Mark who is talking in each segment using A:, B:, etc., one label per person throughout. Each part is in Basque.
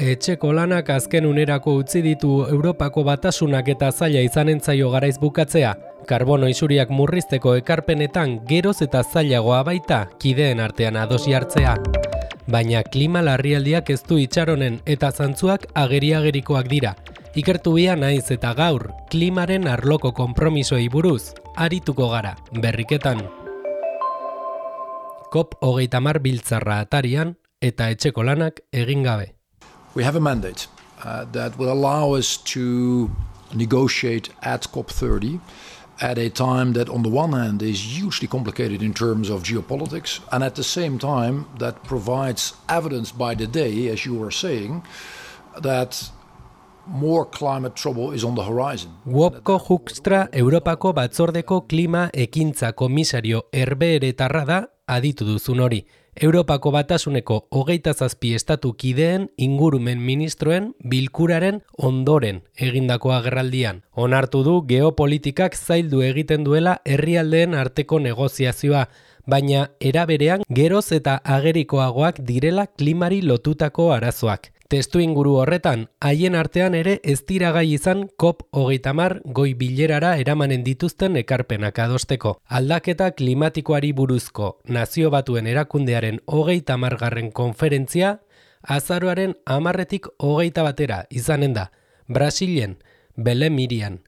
A: Etxeko lanak azken unerako utzi ditu Europako Batasunak eta zaila izanen zaio garaiz bukatzea. Karbono isuriak murrizteko ekarpenetan geroz eta zailagoa baita kideen artean adosi hartzea. Baina klima larrialdiak ez du itxaronen eta zantzuak ageri-agerikoak dira. Ikertu bia naiz eta gaur, klimaren arloko konpromisoei buruz, arituko gara, berriketan. COP30 biltzarra atarian eta etxeko lanak egin gabe.
B: We have a mandate that will allow us to negotiate at COP30 at a time that on the one hand is hugely complicated in terms of geopolitics and at the same time that provides evidence by the day, as you were saying, that more climate trouble is on the horizon.
A: Wopko Hoekstra Europako Batzordeko Klima Ekintza Komisario herbeheretarra da aditu duzun hori. Europako Batasuneko 27 estatu kideen ingurumen ministroen bilkuraren ondoren egindako agerraldian. Onartu du geopolitikak zaildu egiten duela herrialdeen arteko negoziazioa, baina era berean geroz eta agerikoagoak direla klimari lotutako arazoak. Testu inguru horretan, haien artean ere ez dira gai izan COP30 goi bilerara eramanen dituzten ekarpenak adosteko. Aldaketa klimatikoari buruzko Nazio Batuen Erakundearen 30. konferentzia azaroaren 10-tik 21 izanen da, Brasilen, Belém Irian.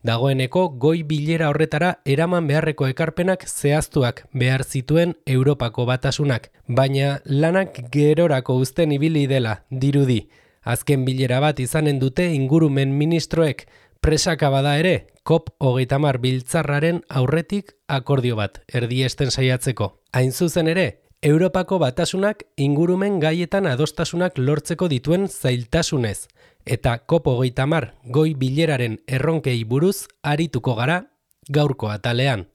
A: Dagoeneko goi bilera horretara eraman beharreko ekarpenak zehaztuak behar zituen Europako Batasunak, baina lanak gerorako uzten ibili dela dirudi. Azken bilera bat izanen dute ingurumen ministroek, presaka bada ere, COP30 biltzarraren aurretik akordio bat erdiesten saiatzeko. Hain zuzen ere, Europako Batasunak ingurumen gaietan adostasunak lortzeko dituen zailtasunez, eta COP30 goi bileraren erronkei buruz arituko gara gaurko atalean.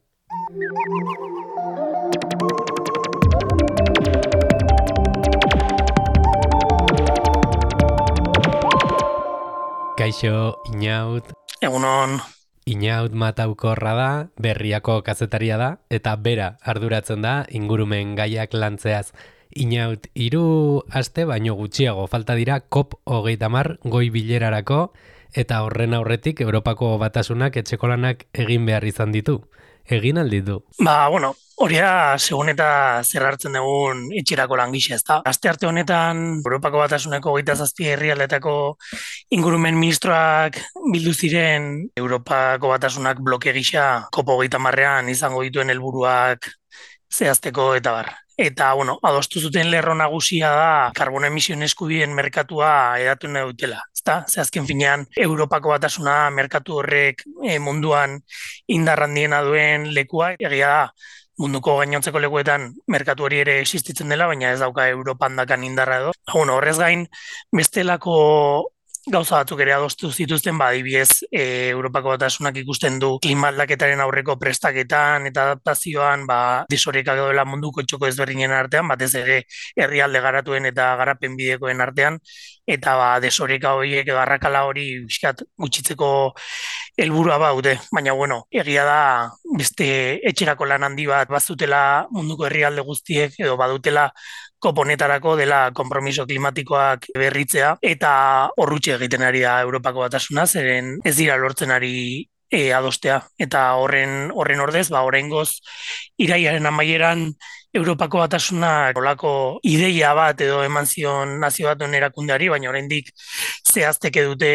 A: Kaixo, Inaut.
C: Egunon.
A: Inaut Mataukorra da, Berriako kazetaria da, eta bera arduratzen da ingurumen gaiak lantzeaz. Inaut, 3 aste baino gutxiago falta dira COP30 goi bilerarako, eta horren aurretik Europako Batasunak etxeko lanak egin behar izan ditu. Egin alditu.
C: Hori da, segun eta zer hartzen dugun etxerako langisa, ez da. Aste arte honetan, Europako Batasuneko 27 herrialdeetako ingurumen ministroak bildu ziren Europako Batasunak bloke gisa COP30ean izango dituen helburuak zehazteko eta bar. Eta, adostu zuten lerro nagusia da karbono emisioen eskubideen merkatua edatu nahi dutela. Ze azken finean, Europako Batasuna merkatu horrek munduan indar handiena duen lekua, egia da, munduko gainontzeko lekuetan merkatu hori ere existitzen dela, baina ez dauka Europan dakan indarra edo. Horrez gain, bestelako gauza batzuk ere adostu zituzten, adibidez, Europako Batasunak ikusten du klima aldaketaren aurreko prestaketan eta adaptazioan desorekak daudela munduko txoko ezberdinen artean, batez ere herrialde garatuen eta garapen bidekoen artean, eta desoreka horiek edo arrakala hori gutxitzeko helburua baute. Baina, egia da beste etxerako lan handi bat bazutela munduko herrialde guztiek edo badutela COP honetarako dela konpromiso klimatikoak berritzea, eta horrutxe egiten ari da Europako Batasuna, zeren ez dira lortzen ari adostea. Eta horren ordez, oraingoz irailaren amaieran Europako Batasunak olako ideia bat edo eman zion Nazio Batuen Erakundeari, baina oraindik zehazteke dute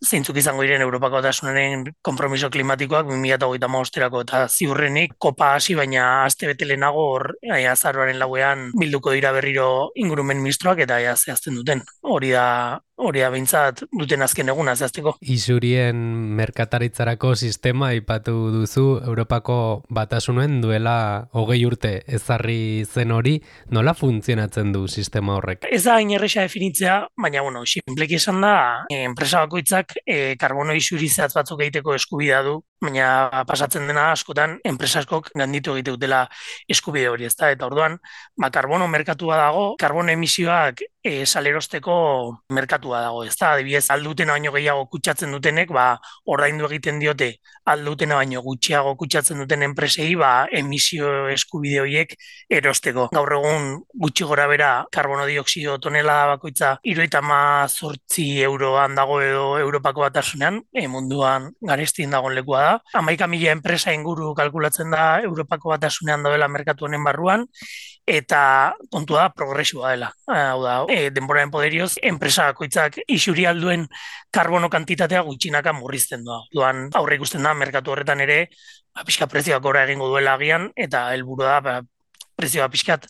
C: zeintzuk izango diren Europako Batasunaren konpromiso klimatikoak 2035erako, eta ziurrenik kopa hasi baina aste bete lehenago azaroaren 4ean bilduko dira berriro ingurumen ministroak eta zehazten duten. Hori da behintzat duten azken eguna zehazteko.
A: Isurien merkataritzarako sistema aipatu duzu Europako Batasunen duela 20 urte ezarri zen hori, nola funtzionatzen du sistema horrek?
C: Ez da hain erresa definitzea, baina sinpleki esan da, enpresa bakoitzak karbono isuri zehatz batzuk egiteko eskubidea du, baina pasatzen dena askotan enpresa askok ganditu egite dutela eskubide hori, ezta? Eta orduan, karbono merkatua dago, karbono emisioak salerosteko merkatua dago, ezta? Adibidez, aldutena baino gehiago kutsatzen dutenek, ordaindu egiten diote aldutena baino gutxiago kutsatzen duten enpresei, emisio eskubide horiek erosteko. Gaur egun gutxi gora bera karbono dioksido tonelada bakoitza 78 euroan dago edo Europako Batasunean, munduan garestien dagoen lekua da. 11.000 enpresa inguru kalkulatzen da Europako Batasunean daudela merkatu honen barruan, eta kontua da progresiboa dela. Hau da, denboraren poderioz, enpresa bakoitzak isuri alduen karbono kantitatea gutxinaka murrizten doa. Duan aurre ikusten da, merkatu horretan ere, pixka prezioak gora egingo duela agian, eta helburua da, prezioa pixkat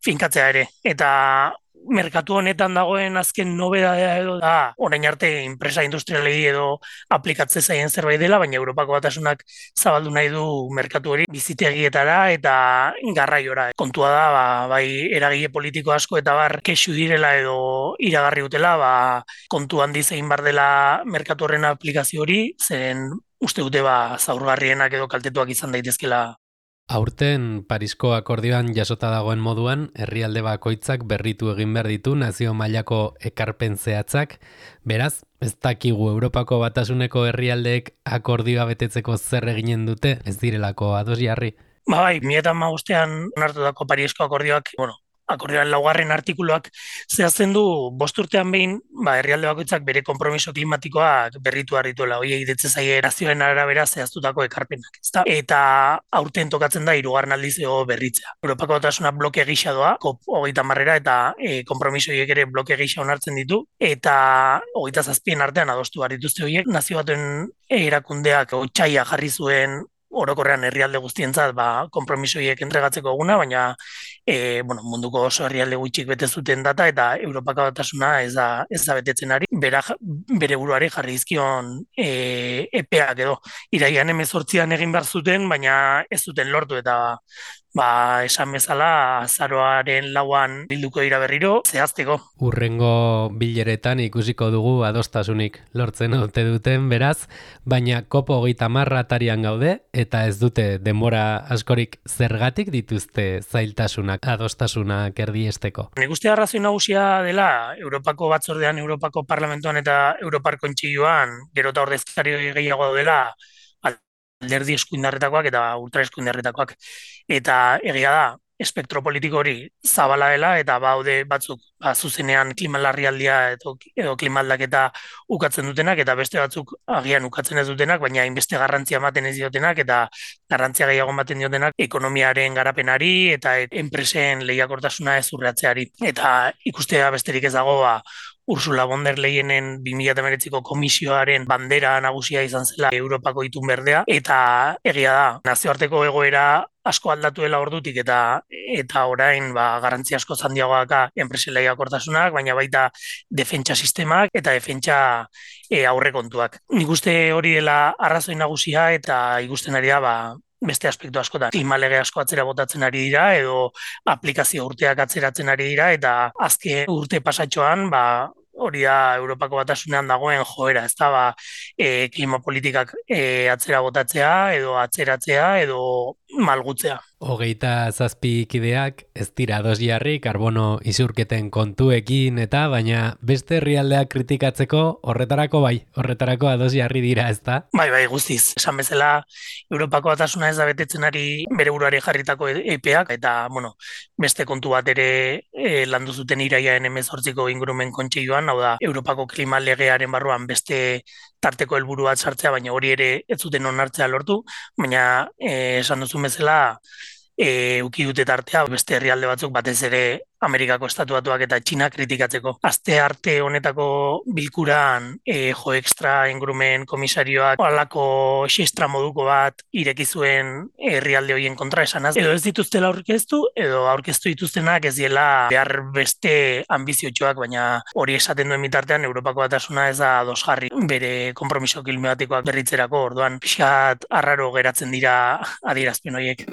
C: finkatzea ere. Eta merkatu honetan dagoen azken nobedadea edo da, orain arte enpresa industrialei edo aplikatze zaien zerbait dela, baina Europako Batasunak zabaldu nahi du merkatu hori bizitegietara eta garraiora. Kontua da, bai eragile politiko asko eta kexu direla edo iragarri dutela, kontu handi zein bar dela merkatu horren aplikazio hori, zen uste dute zaurgarrienak edo kaltetuak izan daitezkela.
A: Aurten Parisko akordioan jasota dagoen moduan, herrialde bakoitzak berritu egin behar ditu nazio mailako ekarpen zehatzak. Beraz, ez dakigu Europako Batasuneko herrialdeek akordioa betetzeko zer eginen dute, ez direlako ados jarri.
C: Bai, 2015 onartutako Parisko akordioak, akordioan 4. artikuluak zehazten du 5 urtean behin, herrialde bakoitzak bere konpromiso klimatikoak berritu harrituela, horiei ditze zaie nazioen arabera zehaztutako ekarpenak, ezta? Eta aurten tokatzen da 3. aldiz berritzea. Europako Batasuna bloke gisa doa, COP30 eta konpromiso horiek ere bloke gisa onartzen ditu, eta 27 artean adostu behar dituzte horiek, nazio batuen erakundeak otsaila jarri zuen orokorrean herrialde guztientzat konpromiso horiek entregatzeko eguna, baina munduko oso herrialde gutxik bete zuten data eta Europako Batasuna ez da betetzen ari. Bere buruari jarri dizkion epeak edo irailean 18an egin behar zuten, baina ez zuten lortu eta esan bezala azaroaren 4an bilduko dira berriro zehazteko.
A: Hurrengo bileretan ikusiko dugu adostasunik lortzen ote duten beraz, baina COP30 atarian gaude eta ez dute denbora askorik zergatik dituzte zailtasunak adostasunak erdiesteko.
C: Nik uste arrazoi nagusia dela Europako Batzordean, Europako Parlamentuan eta Europar Kontseiluan gero eta ordezkari gehiago dela alderdi eskuindarretakoak eta ultra eskuindarretakoak. Eta egia da, espektro politiko hori zabala dela eta baude batzuk zuzenean klima larrialdia edo klima aldaketa ukatzen dutenak eta beste batzuk agian ukatzen ez dutenak, baina hainbeste garrantzia ematen ez diotenak eta garrantzia gehiago ematen diotenak ekonomiaren garapenari eta enpresen lehiakortasuna ez urratzeari. Eta ikustea besterik ez dago Ursula von der Leyenen 2019ko komisioaren bandera nagusia izan zela Europako itun berdea, eta egia da, nazioarteko egoera asko aldatu dela ordutik eta orain garrantzia asko handiagoak enpresen lehiakortasunak, baina baita defentsa sistemak eta defentsa aurrekontuak. Nik uste hori dela arrazoi nagusia eta ikusten ari da beste aspektu askotan. Klima lege asko atzera botatzen ari dira edo aplikazio urteak atzeratzen ari dira eta azken urte pasatxoan hori da Europako Batasunean dagoen joera, ez da klima politikak atzera botatzea edo atzeratzea edo malgutzea.
A: 27 kideak ez dira ados jarri karbono isurketen kontuekin eta baina beste herrialdeak kritikatzeko horretarako ados jarri dira, ez da?
C: Bai, guztiz. Esan bezala Europako Batasuna ez da betetzen ari bere buruari jarritako epeak eta beste kontu bat ere landu zuten iraiaren 18ko ingurumen kontseiluan, hau da Europako klima legearen barruan beste tarteko helburu bat sartzea, baina hori ere ez zuten onartzea lortu, baina esan duzun bezala uki dute tartea beste herrialde batzuk batez ere Amerikako Estatu Batuak eta Txina kritikatzeko. Aste arte honetako bilkuran Jo Extra ingurumen komisarioak halako xestra moduko bat ireki zuen herrialde horien kontra esanaz. Edo ez dituztela aurkeztu edo aurkeztu dituztenak ez diela behar beste anbiziotxoak, baina hori esaten duen bitartean Europako Batasuna ez da ados jarri bere konpromiso klimatikoak berritzerako, orduan pixkat arraro geratzen dira adierazpen horiek.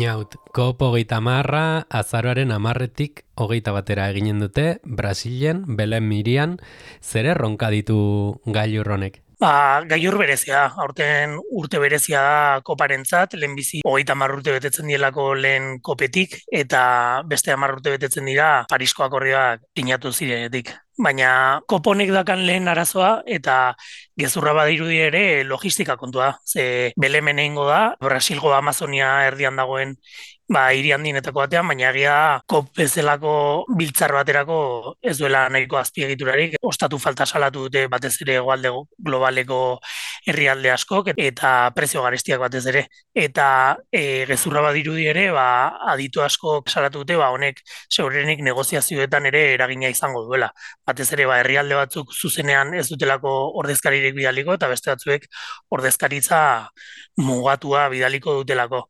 A: Inaut, COP 30 azaroaren 10-etik 21 eginen dute, Brasilen, Belen Mirian, zer erronka ditu gailur honek?
C: Gailur berezia da, aurten urte berezia da koparentzat, lehenbizi 30 urte betetzen dielako lehen kopetik, eta beste 10 urte betetzen dira Parisko akordioak sinatu zirenetik. Baina koponek dakan lehen arazoa eta gezurra badirudi ere logistika kontua. Ze Belemen egingo da, Brasilgo Amazonia erdian dagoen hiri handienetako batean, baina egia COP bezalako biltzar baterako ez duela nahiko azpiegiturarik. Ostatu falta salatu dute batez ere hegoalde globaleko herrialde askok eta prezio garestiak batez ere. Eta gezurra badirudi ere, aditu askok salatu dute, honek segurenik negoziazioetan ere eragina izango duela. Batez ere, herrialde batzuk zuzenean ez dutelako ordezkaririk bidaliko, eta beste batzuek ordezkaritza mugatua bidaliko dutelako.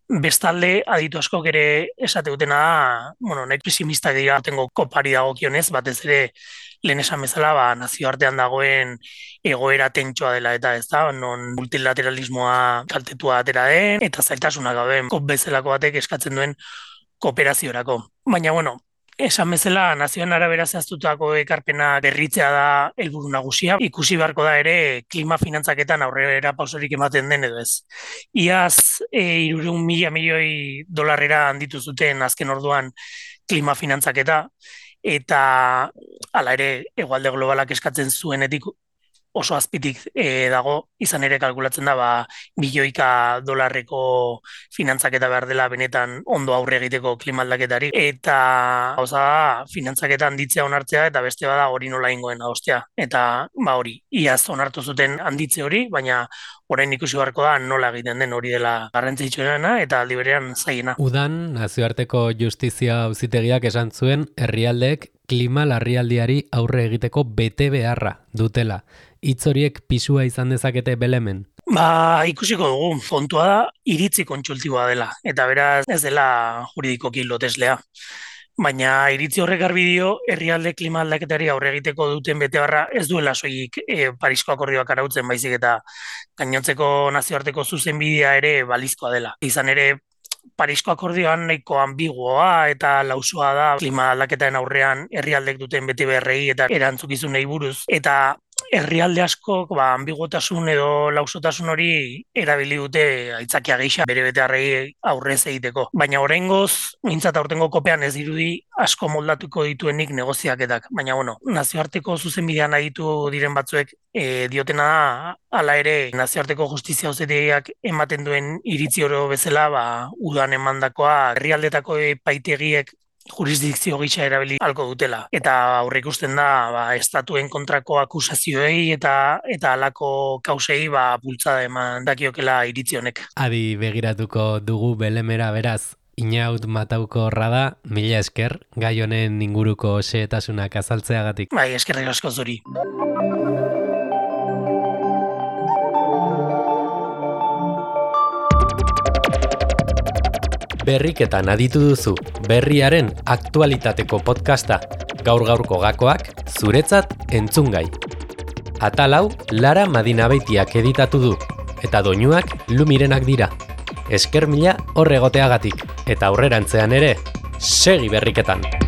C: Bestalde, aditu askok ere esate dutena da, nahi pesimistak dira tengo kopari dagokionez, batez ere lehen esan bezala, nazioartean dagoen egoera tentsoa dela eta ez da, non multilateralismoa kaltetua atera den, eta zailtasunak gauden COP bezalako batek eskatzen duen kooperaziorako. Baina, esan bezala, nazioen arabera zehaztutako ekarpena berritzea da helburu nagusia. Ikusi beharko da ere klima finantzaketan aurrera pausorik ematen den edo ez. Iaz 300.000 milioi dolarrera handitu zuten azken orduan klima finantzaketa, eta hala ere hegoalde globalak eskatzen zuenetik oso azpitik dago, izan ere kalkulatzen da $1.000 dolarreko finantzaketa behar dela benetan ondo aurre egiteko klima aldaketari, eta finantzaketa handitzea onartzea eta beste bada hori nola ingoen adostea, eta hori, iaz onartu zuten handitze hori, baina orain ikusi beharko da nola egiten den hori dela garrantzitsuena eta aldi berean zailena.
A: Udan, nazioarteko justizia auzitegiak esan zuen herrialdeek klima larrialdiari aurre egiteko bete beharra dutela. Hitz horiek pisua izan dezakete Belemen?
C: Ikusiko dugu, kontua da iritzi kontsultiboa dela, eta beraz ez dela juridikoki loteslea. Baina iritzi horrek garbi dio herrialde klima aldaketari aurre egiteko duten betebeharra ez duela soilik Parisko akordioak arautzen, baizik eta gainontzeko nazioarteko zuzenbidea ere balizkoa dela. Izan ere, Parisko akordioan nahiko ambiguoa eta lausoa da klima aldaketaren aurrean herrialdek duten betebeharrei eta erantzukizunei buruz, eta herrialde askok ambiguotasun edo lausotasun hori erabili dute aitzakia gisa bere betebeharrei aurrez egiteko. Baina oraingoz, mintzat aurtengo kopean ez dirudi asko moldatuko dituenik negoziaketak. Baina nazioarteko zuzenbidean aditu diren batzuek diotena da, hala ere nazioarteko justizia auzitegiak ematen duen iritzi oro bezala, udan emandakoa herrialdetako epaitegiek jurisdikzio gisa erabili halko dutela. Eta aurreikusten da estatuen kontrako akusazioei eta halako kausei bultzada eman dakiokela iritzi honek.
A: Adi begiratuko dugu Belemera beraz. Inaut Matauko Rada, mila esker, gai honen inguruko xehetasunak azaltzeagatik.
C: Eskerrik asko zuri.
A: Berriketan aditu duzu, berriaren aktualitateko podcasta, gaur-gaurko gakoak, zuretzat entzungai. Atal hau, Lara Madinabeitiak editatu du, eta doinuak Lumirenak dira. Esker mila hor egoteagatik, eta aurrerantzean ere, segi berriketan!